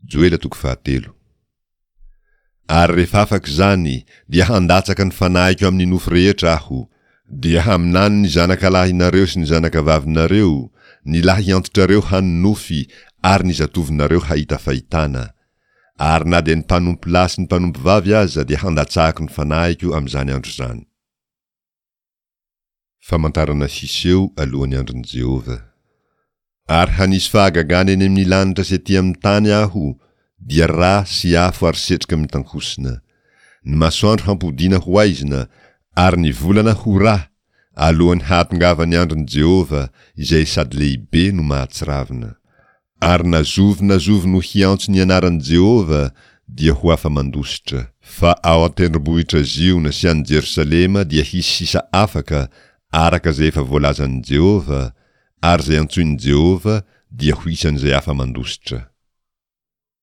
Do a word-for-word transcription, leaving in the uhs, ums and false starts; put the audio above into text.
Joela toko fahatelo. Ary rehefa afaka izany, dia handatsaka ny fanahiko amin'ny nofo rehetra Aho, dia haminany ny zanakalahinareo sy ny zanakavavinareo, ny lahiantitrareo hanonofy ary ny zatovonareo hahita fahitana. Ary na dia ny mpanompolahy sy ny mpanompovavy aza dia handatsahako ny fanahiko amin'izany andro izany. Famantarana hiseho alohan'ny andron'i Jehovah. Ary hanisy fahagagana eny amin'ny lanitra sy ety amin'ny tany Aho, dia rà sy afo ary setroka mitankosina. Ny masoandro hampodiana ho aizina, ary ny volana ho rà, alohan'ny hahatongavan'ny andron'i Jehovah, izay sady lehibe no mahatsiravina. Ary na zovy na zovy no hiantso ny anaran'i Jehovah dia ho afa-mandositra. Fa ao an-tendrombohitra Ziona sy any Jerosalema dia hisy sisa afaka, araka izay efa voalazan'i Jehovah, ary izay antsoin'i Jehovah dia ho isan'izay afa-mandositra.